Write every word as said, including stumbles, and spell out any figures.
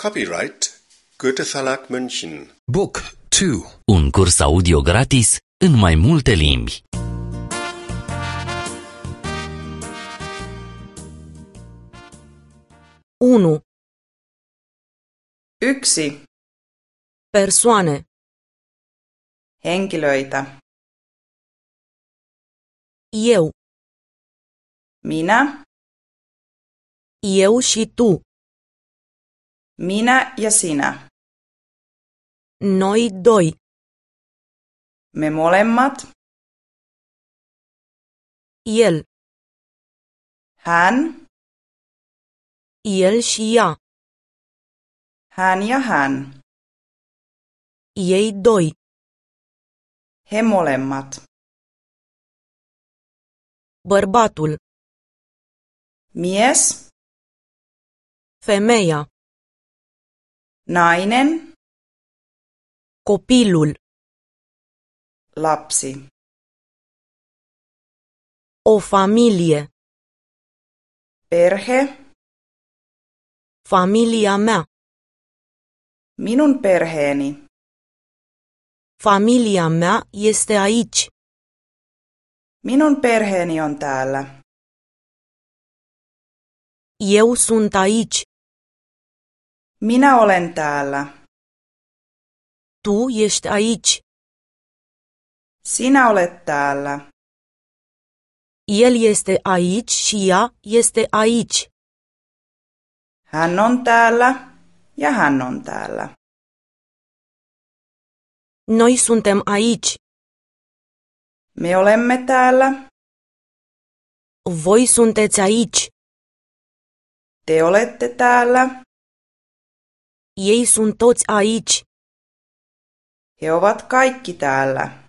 Copyright Goethe Verlag München. Book two. Un curs audio gratis în mai multe limbi. Unu. Yksi. Persoane. Henkilöitä. Eu. Minä, Eu și tu. Minä ja sinä. Noi doi. Me molemmat, El. Hän, El și ea. Hän ja hän. Ei doi. He molemmat. Bărbatul. Mies, Femeia. Nainen, Copilul. Lapsi. O familie. Perhe, Familia mea. Minun perheeni. Familia mea este aici. Minun perheeni on täällä. Eu sunt aici. Minä olen täällä. Tu ești aici. Sinä olet täällä. El este aici și ea este aici. Hän on täällä ja hän on täällä. Noi suntem aici. Me olemme täällä. Voi sunteți aici. Te olette täällä. Ei sunt toți aici. He ovat kaikki täällä.